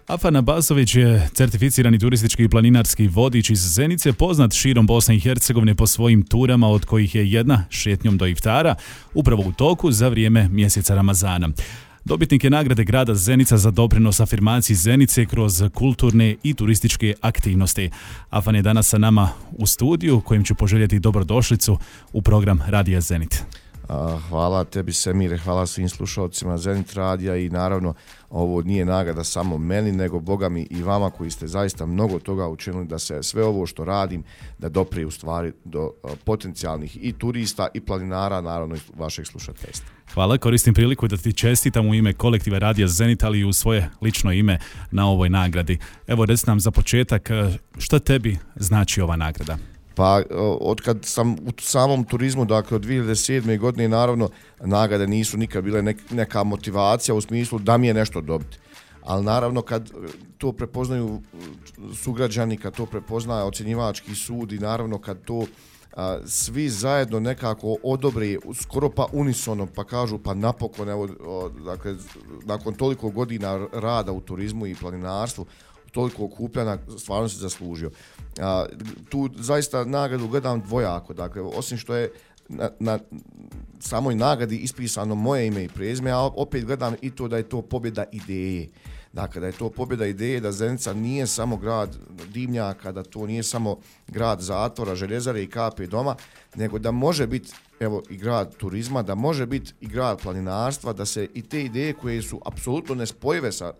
Afan Abasović je certificirani turistički i planinarski vodič iz Zenice, poznat širom Bosne i Hercegovine po svojim turama, od kojih je jedna šetnjom do iftara, upravo u toku za vrijeme mjeseca Ramazana. Dobitnik je nagrade grada Zenica za doprinos afirmaciji Zenice kroz kulturne i turističke aktivnosti. Afan je danas sa nama u studiju, kojim ću poželjeti dobrodošlicu u program Radija Zenit. Hvala tebi, Semire, hvala svim slušalcima Zenit radija i naravno ovo nije nagrada samo meni, nego Boga mi i vama koji ste zaista mnogo toga učinili da se sve ovo što radim da doprije u stvari do potencijalnih i turista i planinara, naravno i vašeg slušateljstva. Hvala, koristim priliku da ti čestitam u ime kolektiva Radija Zenit, ali i u svoje lično ime na ovoj nagradi. Evo, reci nam za početak, što tebi znači ova nagrada? Pa otkad sam u samom turizmu, dakle od 2007. godine, naravno nagrade nisu nikad bile neka motivacija u smislu da mi je nešto dobiti. Ali naravno kad to prepoznaju sugrađani, kad to prepoznaje ocjenjivački sud i naravno kad to svi zajedno nekako odobre skoro pa unisono pa kažu pa napokon, evo, dakle, nakon toliko godina rada u turizmu i planinarstvu, toliko okupljena, stvarno se zaslužio. Tu zaista nagradu gledam dvojako, dakle, osim što je na samoj nagradi ispisano moje ime i prezime, a opet gledam i to da je to pobjeda ideje. Dakle, da je to pobjeda ideje, da Zenica nije samo grad dimnjaka, da to nije samo grad zatvora, željezare i kape doma, nego da može biti, evo, i grad turizma, da može biti i grad planinarstva, da se i te ideje koje su apsolutno nespojive sa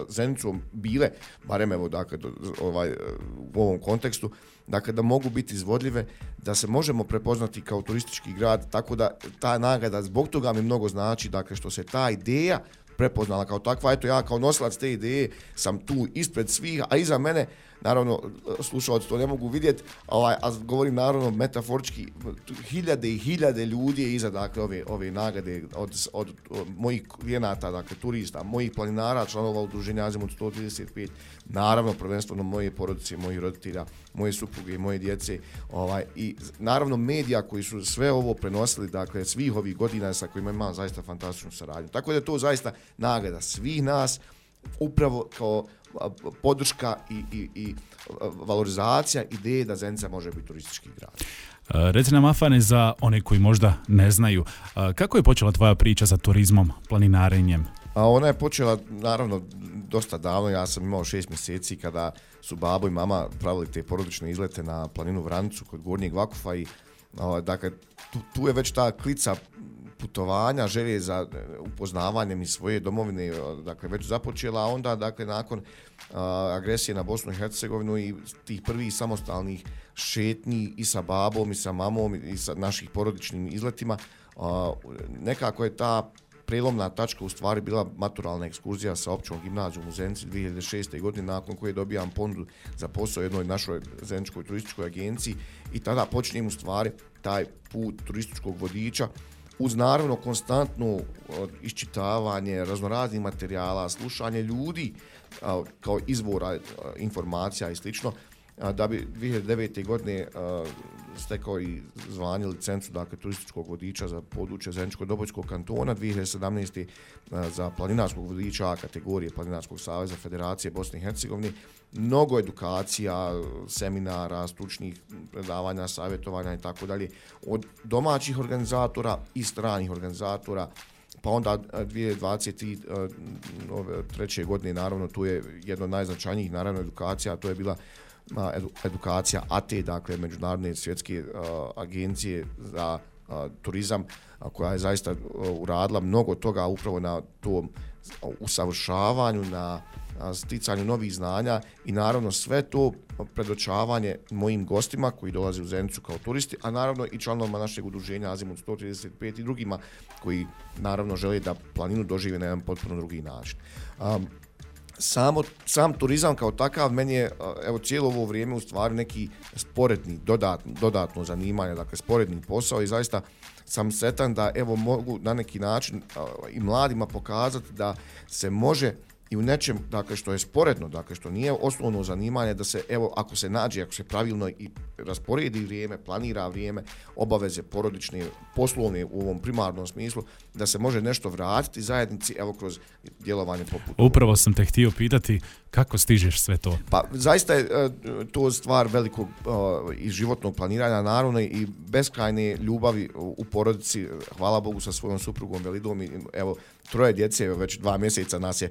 Zenicom bile, barem evo, dakle, u ovom kontekstu, dakle, da mogu biti izvodljive, da se možemo prepoznati kao turistički grad, tako da ta nagrada zbog toga mi mnogo znači, dakle, što se ta ideja prepoznala kao takva. Eto, ja kao nosilac te ideje sam tu ispred svih, a iza mene, naravno, slušalci to ne mogu vidjeti, a govorim naravno metaforički, hiljade i hiljade ljudi je iza, dakle, ove nagrade od mojih klijenata, dakle, turista, mojih planinara, članova udruženja Azimut 135, naravno, prvenstveno moje porodice, mojih roditelja, moje supruge, moje djece, i naravno medija koji su sve ovo prenosili, dakle, svih ovih godina sa kojima imam zaista fantastičnu saradnju. Tako da je to zaista nagrada svih nas, upravo kao podrška i valorizacija ideje da Zenica može biti turistički grad. Reci nam, Afane, za one koji možda ne znaju, kako je počela tvoja priča sa turizmom, planinarenjem? Ona je počela, naravno, dosta davno. Ja sam imao 6 mjeseci kada su babo i mama pravili te porodične izlete na planinu Vranicu kod Gornjeg Vakufa i dakle, tu je već ta klica putovanja, želje za upoznavanjem iz svoje domovine, dakle, već započela, a onda, dakle, nakon agresije na Bosnu i Hercegovinu i tih prvih samostalnih šetnji i sa babom i sa mamom i sa naših porodičnim izletima, nekako je ta prelomna tačka u stvari bila maturalna ekskurzija sa općom gimnazijom u Zenici 2006. godine, nakon koje dobijam ponudu za posao jednoj našoj zeničkoj turističkoj agenciji i tada počinjem u stvari taj put turističkog vodiča uz naravno konstantno iščitavanje raznoraznih materijala, slušanje ljudi kao izvora informacija i slično, da bi 2009. godine stekao i zvanje licencu, dakle, turističkog vodiča za područje Zeničko-Dobojskog kantona, 2017. za planinarskog vodiča A kategorije Planinarskog saveza Federacije Bosne i Hercegovine. Mnogo edukacija, seminara, stručnih predavanja, savjetovanja i tako dalje od domaćih organizatora i stranih organizatora. Pa onda 2023. godine, naravno, tu je jedno od najznačajnijih, naravno, edukacija, to je bila edukacija ATE, dakle, Međunarodne svjetske agencije za turizam, koja je zaista uradila mnogo toga upravo na tom usavršavanju, na sticanju novih znanja i naravno sve to predočavanje mojim gostima koji dolaze u Zenicu kao turisti, a naravno i članovima našeg udruženja Azimut 135 i drugima koji naravno žele da planinu dožive na jedan potpuno drugi način. Sam turizam kao takav meni je, evo, cijelo ovo vrijeme u stvari neki sporedni, dodatno zanimanje, dakle sporedni posao i zaista sam sretan da, evo, mogu na neki način i mladima pokazati da se može i u nečem, dakle, što je sporedno, dakle, što nije osnovno zanimanje, da se, evo, ako se nađe, ako se pravilno i rasporedi vrijeme, planira vrijeme, obaveze porodične, poslovne u ovom primarnom smislu, da se može nešto vratiti zajednici, evo, kroz djelovanje poput. Upravo sam te htio pitati kako stižeš sve to. Pa zaista je to stvar velikog i životnog planiranja, naravno i beskrajne ljubavi u porodici, hvala Bogu sa svojom suprugom Velidom i evo 3 djece, već 2 mjeseca nas je,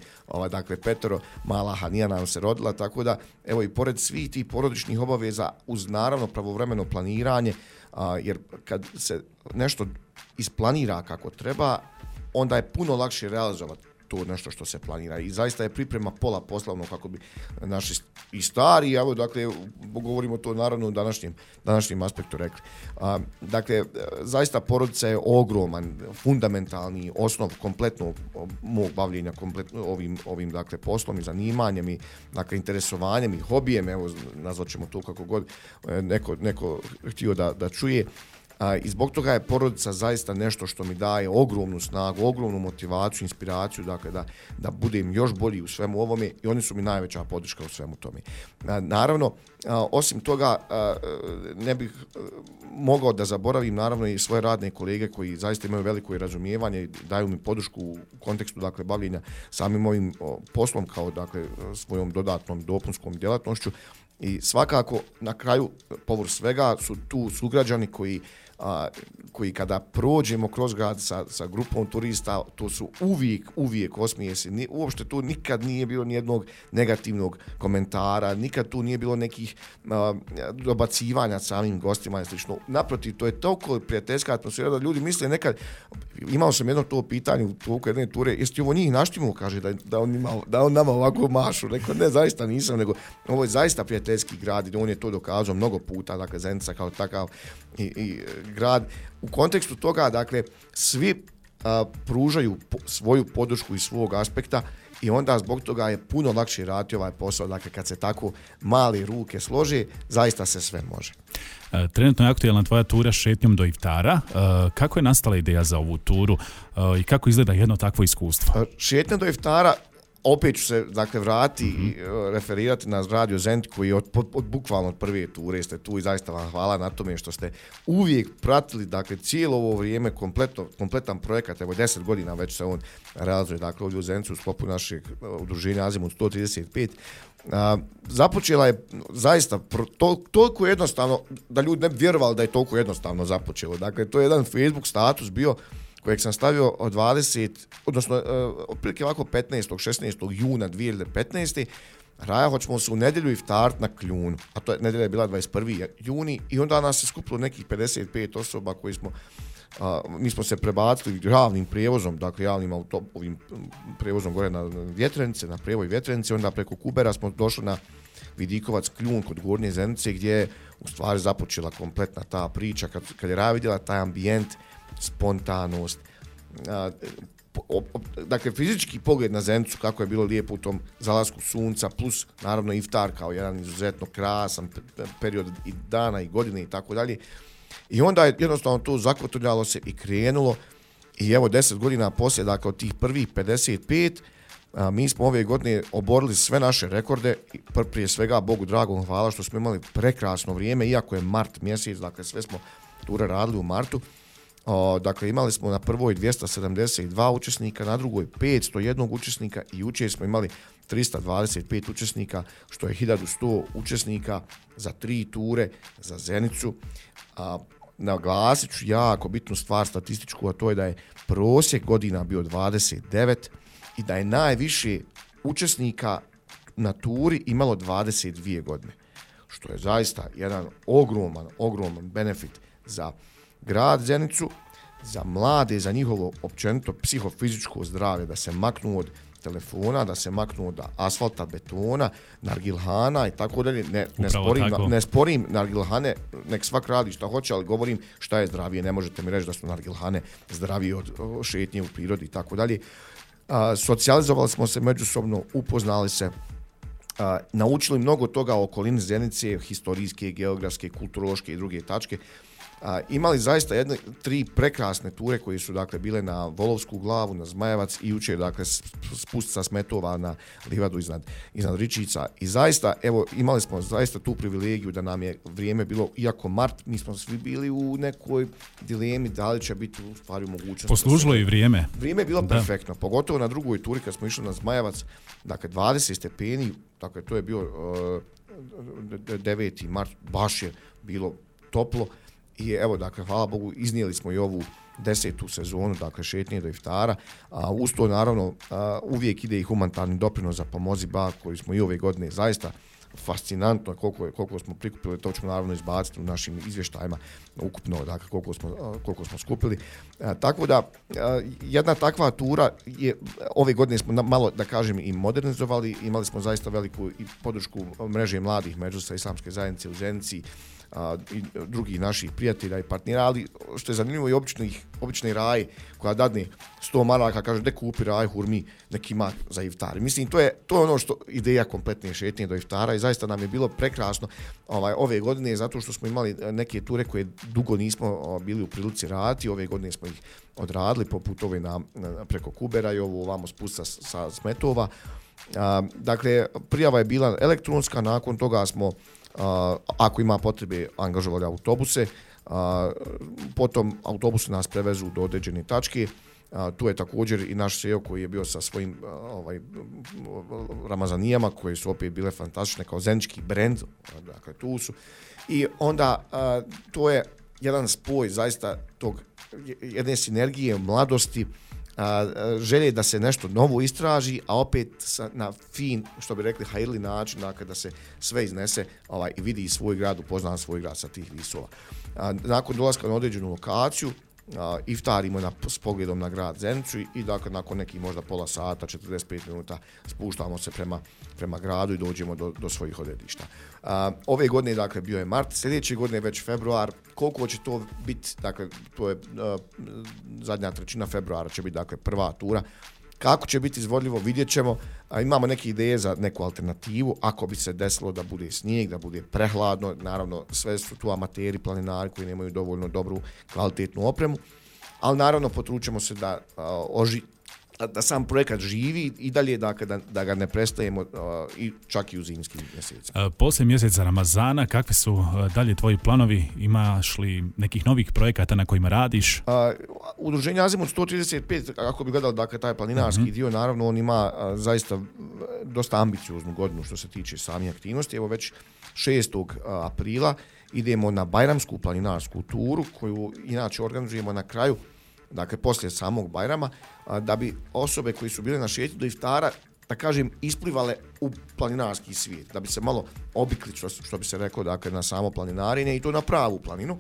dakle 5, mala Hanija nam se rodila, tako da evo i pored svih tih porodičnih obaveza uz naravno pravovremeno planiranje, jer kad se nešto isplanira kako treba, onda je puno lakše realizovati to nešto što se planira i zaista je priprema pola poslovno kako bi naši i stari, evo dakle govorimo to naravno u današnjem aspektu rekli. Dakle, zaista porodica je ogroman, fundamentalni osnov kompletnog mog bavljenja ovim dakle poslom i zanimanjem i dakle interesovanjem i hobijem, evo nazvat ćemo to kako god neko htio da čuje. I zbog toga je porodica zaista nešto što mi daje ogromnu snagu, ogromnu motivaciju, inspiraciju, dakle da budem još bolji u svemu ovome i oni su mi najveća podrška u svemu tome. Naravno, osim toga ne bih mogao da zaboravim naravno i svoje radne kolege koji zaista imaju veliko razumijevanje i daju mi podršku u kontekstu dakle bavljenja samim ovim poslom kao dakle svojom dodatnom dopunskom djelatnošću. I svakako na kraju povrh svega su tu sugrađani koji kada prođemo kroz grad sa grupom turista, to su uvijek osmijesi. Uopšte tu nikad nije bilo nijednog negativnog komentara, nikad tu nije bilo nekih dobacivanja samim gostima i slično. Naprotiv, to je toliko prijateljska atmosfera da ljudi misle nekad, imao sam jedno to pitanje u toku jedne ture, jesi ti ovo njih naštimo, kaže da on nama ovako mašu. Rekao, ne, zaista nisam, nego ovo je zaista prijateljski grad i on je to dokazao mnogo puta, dakle Zenica kao takav i grad. U kontekstu toga, dakle, svi pružaju svoju podršku iz svog aspekta i onda zbog toga je puno lakše raditi ovaj posao. Dakle, kad se tako male ruke slože, zaista se sve može. Trenutno je aktualna tvoja tura šetnjom do iftara. Kako je nastala ideja za ovu turu i kako izgleda jedno takvo iskustvo? Šetnja do iftara, opet ću se dakle vratiti i referirati na Radio Zenit koji bukvalno od prve ture ste tu i zaista vam hvala na tome što ste uvijek pratili dakle cijelo ovo vrijeme kompletan projekat, evo 10 godina već se on realizuje dakle ovdje u Zenicu u sklopu našeg udruženja Azimut 135. Započela je zaista toliko jednostavno da ljudi ne bi vjerovali da je toliko jednostavno započelo. Dakle, to je jedan Facebook status bio kojeg sam stavio od 20, odnosno otprilike ovako 16. juna 2015. Raja, hoćemo se u nedjelju iftarit na Kljunu, a to je nedjelja je bila 21. juni i onda nas se skupilo nekih 55 osoba koji mi smo se prebacili javnim prijevozom, dakle javnim ovim prijevozom gore na Vjetrenice, na Prijevoj Vjetrenice, onda preko Kubera smo došli na Vidikovac Kljun kod Gornje Zenice gdje je u stvari započela kompletna ta priča kad je Raja vidjela taj ambijent, spontanost, dakle fizički pogled na Zenicu kako je bilo lijepo u tom zalasku sunca plus naravno iftar kao jedan izuzetno krasan period i dana i godine i tako dalje. I onda je jednostavno to zakotrljalo se i krenulo i evo 10 godina poslije, dakle od tih prvih 55, mi smo ove godine oborili sve naše rekorde, prije svega Bogu dragom hvala što smo imali prekrasno vrijeme, iako je mart mjesec, dakle sve smo ture radili u martu. Dakle, imali smo na prvoj 272 učesnika, na drugoj 501 učesnika i jučer smo imali 325 učesnika, što je 1100 učesnika za 3 ture za Zenicu. Naglasit ću jako bitnu stvar statističku, a to je da je prosjek godina bio 29 i da je najviše učesnika na turi imalo 22 godine, što je zaista jedan ogroman benefit za grad Zenicu, za mlade, za njihovo općenito psihofizičko zdravlje, da se maknu od telefona, da se maknu od asfalta, betona, nargilhana i tako dalje. Ne sporim nargilhane, nek svak radi šta hoće, ali govorim šta je zdravije. Ne možete mi reći da su nargilhane zdravije od šetnje u prirodi i tako dalje. Socijalizovali smo se međusobno, upoznali se, naučili mnogo toga o okolini Zenice, historijske, geografske, kulturološke i druge tačke. imali zaista 3 prekrasne ture koje su dakle bile na Volovsku glavu, na Zmajevac i jučer dakle spust sa Smetova na livadu iznad Ričica i zaista evo imali smo zaista tu privilegiju da nam je vrijeme bilo, iako mart, mi smo svi bili u nekoj dilemi da li će biti u stvari mogućnost. Poslužilo i vrijeme. Vrijeme je bilo perfektno, pogotovo na drugoj turi kad smo išli na Zmajevac, dakle 20 stepeni, dakle to je bio 9. mart, baš je bilo toplo. I evo, dakle, hvala Bogu, iznijeli smo i ovu 10. sezonu, dakle, šetnje do iftara. Uz to, naravno, uvijek ide i humanitarni doprinos za Pomozi Ba, koji smo i ove godine zaista fascinantno koliko smo prikupili, to ćemo naravno izbaciti u našim izvještajima ukupno, dakle, koliko smo skupili. Tako da, jedna takva tura je, ove godine smo malo, da kažem, i modernizovali, imali smo zaista veliku i podršku mreže mladih Medžlisa Islamske zajednice u Zenici, i drugih naših prijatelja i partnera, ali što je zanimljivo i obični raj koja dadne 100 maraka, kaže da kupi raj hurmi neki ima za iftar. Mislim, to je ono što ideja kompletne šetnje do iftara i zaista nam je bilo prekrasno ove godine, zato što smo imali neke ture koje dugo nismo bili u prilici raditi, ove godine smo ih odradili, poput ove preko Kubera i ovo ovamo spusta sa Smetova. Dakle, prijava je bila elektronska, nakon toga smo ako ima potrebe angažovali autobuse, potom autobusi nas prevezu do određene tačke. Tu je također i naš SEO koji je bio sa svojim ramazanijama koje su opet bile fantastične kao zenički brend, dakle tu su. I onda to je jedan spoj zaista tog jedne sinergije mladosti, želje da se nešto novo istraži, a opet na fin, što bi rekli, hajrli način, dakle, da se sve iznese i vidi svoj grad, upozna svoj grad sa tih visova. Nakon dolaska na određenu lokaciju, iftarimo s pogledom na grad Zenicu i dakle, nakon nekih možda pola sata, 45 minuta spuštamo se prema gradu i dođemo do svojih odredišta. Ove godine, dakle, bio je mart, sljedeće godine već februar. Koliko će to biti, dakle, to je zadnja trećina februara će biti, dakle, prva tura. Kako će biti izvodljivo, vidjet ćemo. Imamo neke ideje za neku alternativu, ako bi se desilo da bude snijeg, da bude prehladno, naravno sve su tu amateri, planinari koji nemaju dovoljno dobru kvalitetnu opremu, ali naravno potručemo se da sam projekat živi i dalje, dakle, da ga ne prestajemo i čak i u zimskim mjesecima. Poslije mjeseca Ramazana, kakvi su dalje tvoji planovi? Imaš li nekih novih projekata na kojima radiš? Udruženje Azimut 135, ako bi gledali, dakle, taj planinarski dio, naravno on ima zaista dosta ambicioznu godinu što se tiče samih aktivnosti. Evo već 6. aprila idemo na Bajramsku planinarsku turu koju inače organizujemo na kraju, dakle poslije samog Bajrama, da bi osobe koji su bile na šetnji do iftara, da kažem, isplivale u planinarski svijet, da bi se malo obikli, što bi se reklo, dakle, na samo planinarenje i to na pravu planinu.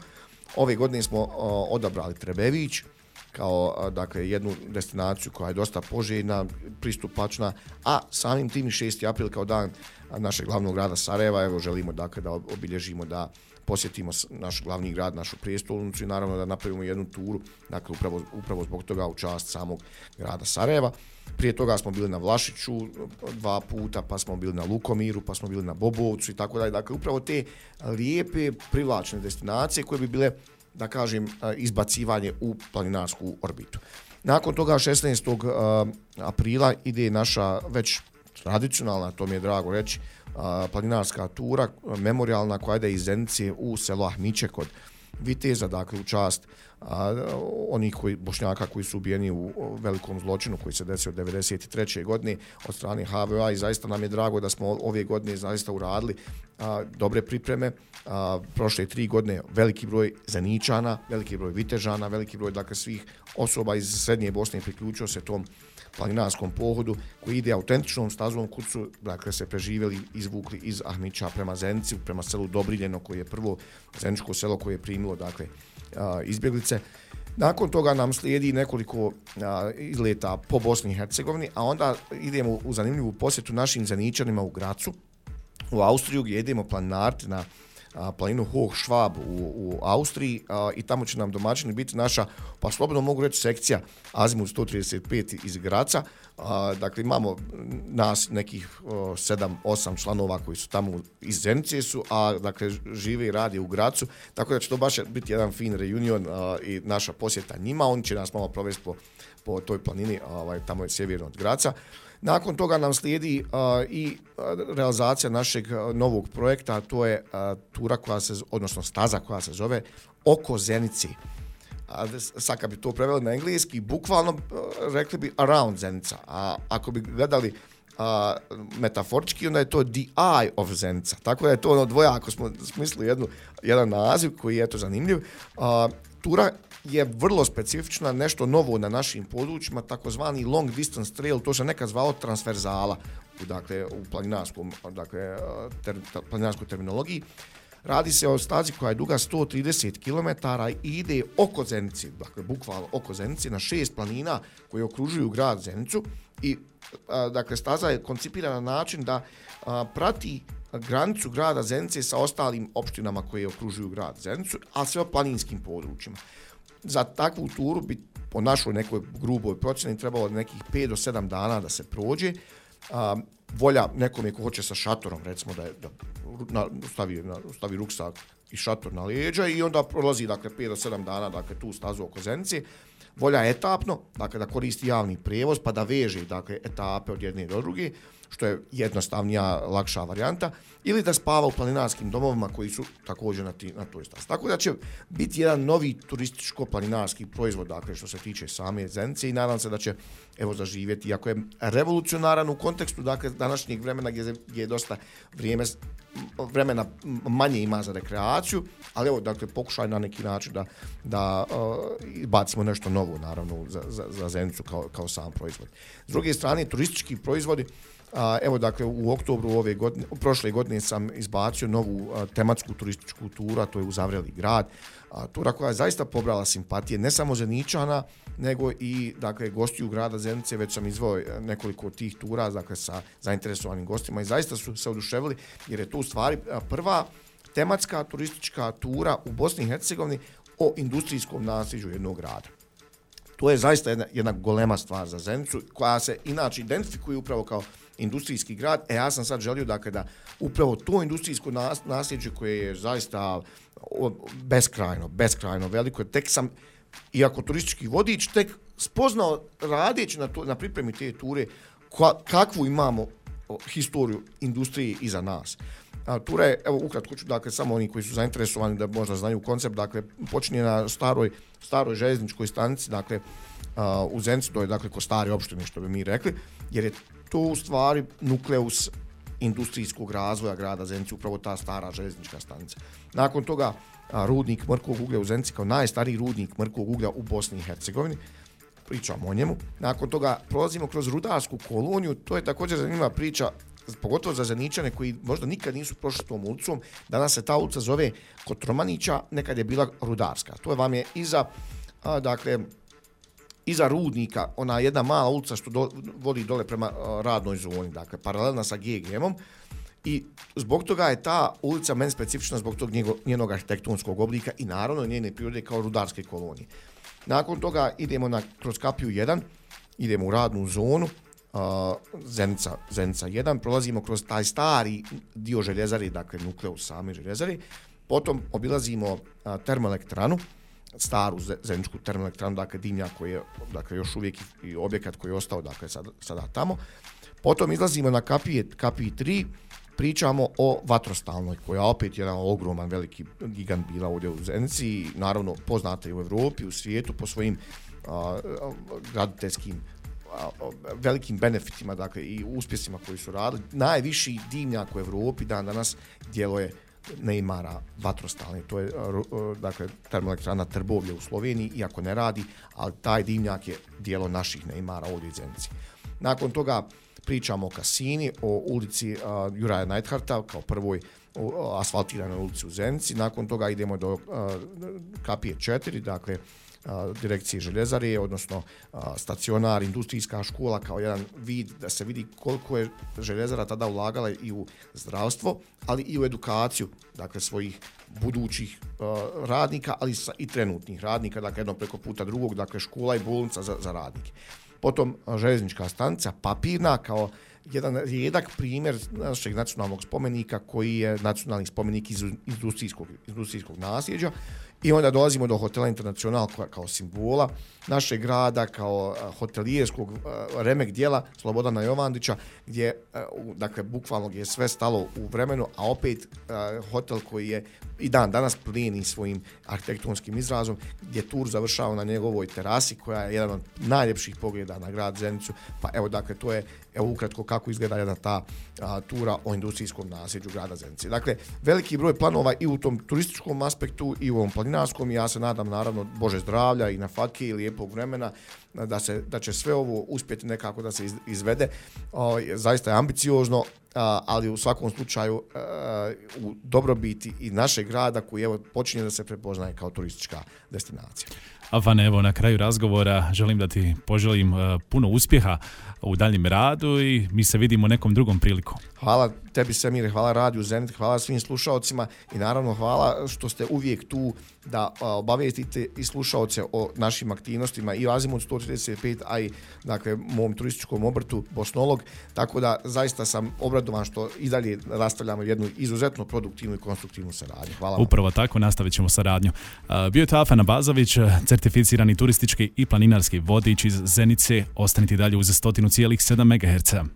Ove godine smo odabrali Trebević kao, dakle, jednu destinaciju koja je dosta poželjna, pristupačna, a samim tim 6. april kao dan našeg glavnog grada Sarajeva, evo želimo, dakle, da obilježimo, da posjetimo naš glavni grad, našu prijestolnicu i naravno da napravimo jednu turu, dakle upravo zbog toga u čast samog grada Sarajeva. Prije toga smo bili na Vlašiću 2 puta, pa smo bili na Lukomiru, pa smo bili na Bobovcu i tako dalje. Dakle, upravo te lijepe, privlačne destinacije koje bi bile, da kažem, izbacivanje u planinarsku orbitu. Nakon toga 16. aprila ide naša već tradicionalna, to mi je drago reći, planinarska tura, memorijalna koja ide iz Zenice u selo Ahmiće kod Viteza, dakle u čast onih Bošnjaka koji su ubijeni u velikom zločinu koji se desio 1993. godine od strane HVO-a i zaista nam je drago da smo ove godine zaista uradili dobre pripreme. Prošle 3 godine veliki broj Zeničana, veliki broj Vitežana, veliki broj, dakle, svih osoba iz Srednje Bosne priključio se tom planinarskom pohodu koji ide autentičnom stazom kud su, dakle, se preživjeli, izvukli iz Ahmića prema Zenici, prema selu Dobriljeno koje je prvo zeničko selo koje je primilo, dakle, izbjeglice. Nakon toga nam slijedi nekoliko izleta po Bosni i Hercegovini, a onda idemo u zanimljivu posjetu našim Zeničanima u Gracu, u Austriju, gdje idemo planinariti na planinu Hochschwab u Austriji i tamo će nam domaćini biti naša, pa slobodno mogu reći, sekcija Azimut 135 iz Graca. Dakle, imamo nas nekih 7-8 članova koji su tamo iz Zenice su, a dakle žive i rade u Gracu, tako da će to baš biti jedan fin reunion i naša posjeta njima. Oni će nas malo provesti po toj planini, tamo je sjeverno od Graca. Nakon toga nam slijedi i realizacija našeg novog projekta, a to je tura odnosno staza koja se zove Oko Zenice. Sad kad bi to preveli na engleski, bukvalno rekli bi around Zenica, a ako bi gledali metaforički, onda je to the eye of Zenica. Tako da je to ono dvojako smo smislili jedan naziv koji je zanimljiv. Tura je vrlo specifična, nešto novo na našim područjima, takozvani long distance trail, to se nekad zvao transverzala u planinarskoj terminologiji. Radi se o stazi koja je duga 130 km i ide oko Zenice, dakle bukvalno oko Zenice, na 6 planina koje okružuju grad Zenicu i dakle staza je koncipirana na način da prati granicu grada Zenice sa ostalim opštinama koje okružuju grad Zenicu, a sve o planinskim područjima. Za takvu turu bi po našoj nekoj gruboj procjeni trebalo nekih 5 do 7 dana da se prođe. Volja nekome ko hoće sa šatorom, recimo da stavi ruksak i šator na leđa i onda prolazi 5 do 7 dana tu stazu oko Zenice. Volja etapno, da koristi javni prijevoz pa da veže etape od jedne do druge, što je jednostavnija, lakša varijanta, ili da spava u planinarskim domovima koji su također na toj stazi. Tako da će biti jedan novi turističko-planinarski proizvod, što se tiče same Zenice i nadam se da će zaživjeti, iako je revolucionaran u kontekstu današnjeg vremena gdje je dosta vremena manje ima za rekreaciju, ali pokušaj na neki način da bacimo nešto novo, naravno, za Zenicu kao sam proizvod. S druge strane, turistički proizvodi, u oktobru prošle godine sam izbacio novu tematsku turističku turu, a to je Uzavreli grad. Tura koja je zaista pobrala simpatije, ne samo Zeničana, nego i gostiju grada Zenice, već sam izveo nekoliko tih tura sa zainteresovanim gostima i zaista su se oduševili, jer je to u stvari prva tematska turistička tura u Bosni i Hercegovini o industrijskom nasljeđu jednog grada. To je zaista jedna golema stvar za Zenicu, koja se inače identifikuje upravo kao industrijski grad. Ja sam sad želio da upravo to industrijsko nasljeđe koje je zaista beskrajno veliko, tek sam, iako turistički vodič, tek spoznao radeći na pripremi te ture kakvu imamo historiju industrije iza nas. Tura je, ukratko ću, samo oni koji su zainteresovani da možda znaju koncept, počinje na staroj željezničkoj stanici, u Zenici, to je kod stare opštine, što bi mi rekli, jer je to u stvari nukleus industrijskog razvoja grada Zenice, upravo ta stara željeznička stanica. Nakon toga rudnik mrkvog uglja u Zenici kao najstariji rudnik mrkvog uglja u Bosni i Hercegovini, pričamo o njemu. Nakon toga prolazimo kroz rudarsku koloniju, to je također zanimljiva priča, pogotovo za Zeničane koji možda nikad nisu prošli tom ulicom. Danas se ta ulica zove Kotromanića, nekad je bila rudarska. To vam je iza rudnika, ona jedna mala ulica što vodi dole prema radnoj zoni, paralelna sa GGM-om, i zbog toga je ta ulica meni specifična zbog tog njenog arhitektonskog oblika i naravno njene prirode kao rudarske kolonije. Nakon toga idemo kroz kapiju 1, idemo u radnu zonu, Zenica 1, prolazimo kroz taj stari dio željezari, nukleus same željezari, potom obilazimo termoelektranu, staru zeničku termoelektranu, dimnjak koji je još uvijek i objekat koji je ostao sada tamo. Potom izlazimo na kapiji 3, pričamo o vatrostalnoj, koja opet jedan ogroman, veliki gigant bila ovdje u Zenici i naravno poznata i u Evropi, u svijetu po svojim graditeljskim velikim benefitima, i uspjesima koji su radili. Najviši dimnjak u Evropi danas djeluje Neymara vatrostalni, to je termoelektrana Trbovlje u Sloveniji, iako ne radi, ali taj dimnjak je djelo naših Neymara ovdje u Zenici. Nakon toga pričamo o Kasini, o ulici Juraja Neidhardta kao prvoj asfaltiranoj ulici u Zenici. Nakon toga idemo do kapije 4, direkcije željezare, odnosno stacionar, industrijska škola kao jedan vid da se vidi koliko je željezara tada ulagala i u zdravstvo, ali i u edukaciju, dakle svojih budućih radnika, ali i trenutnih radnika, dakle jedno preko puta drugog, dakle škola i bolnica za radnike. Potom željeznička stanica, papirna, kao jedan rijedak primjer našeg nacionalnog spomenika koji je nacionalni spomenik iz industrijskog nasljeđa. I onda dolazimo do Hotela Internacional kao simbola našeg grada, kao hotelijerskog remek dijela Slobodana Jovandića, gdje, dakle, bukvalno je sve stalo u vremenu, a opet hotel koji je i dan danas plijeni svojim arhitektonskim izrazom, gdje tur završava na njegovoj terasi, koja je jedan od najljepših pogleda na grad Zenicu. Pa evo, dakle, to je ukratko kako izgleda jedna ta tura o industrijskom nasljeđu grada Zenice. Dakle, veliki broj planova i u tom turističkom aspektu i u ovom planinarskom, i ja se nadam, naravno, Bože zdravlja i na fatke i lijepog vremena, da će sve ovo uspjeti nekako da se izvede. Zaista je ambiciozno, ali u svakom slučaju u dobrobiti i našeg grada koji evo počinje da se prepoznaje kao turistička destinacija. Avane, evo na kraju razgovora želim da ti poželim puno uspjeha u daljem radu i mi se vidimo nekom drugom prilikom. Hvala tebi, Semire, hvala Radiju Zenit, hvala svim slušaocima i naravno hvala što ste uvijek tu da obavijestite i slušaoce o našim aktivnostima i Azimut 135, a i, dakle, mom turističkom obrtu Bosnolog, tako da zaista sam obradovan što i dalje nastavljamo jednu izuzetno produktivnu i konstruktivnu saradnju. Hvala vam. Upravo tako, nastavit ćemo saradnju. Bio je to Afan Abazović, certificirani turistički i planinarski vodič iz Zenice. Ostanite dalje uz 100,7 MHz.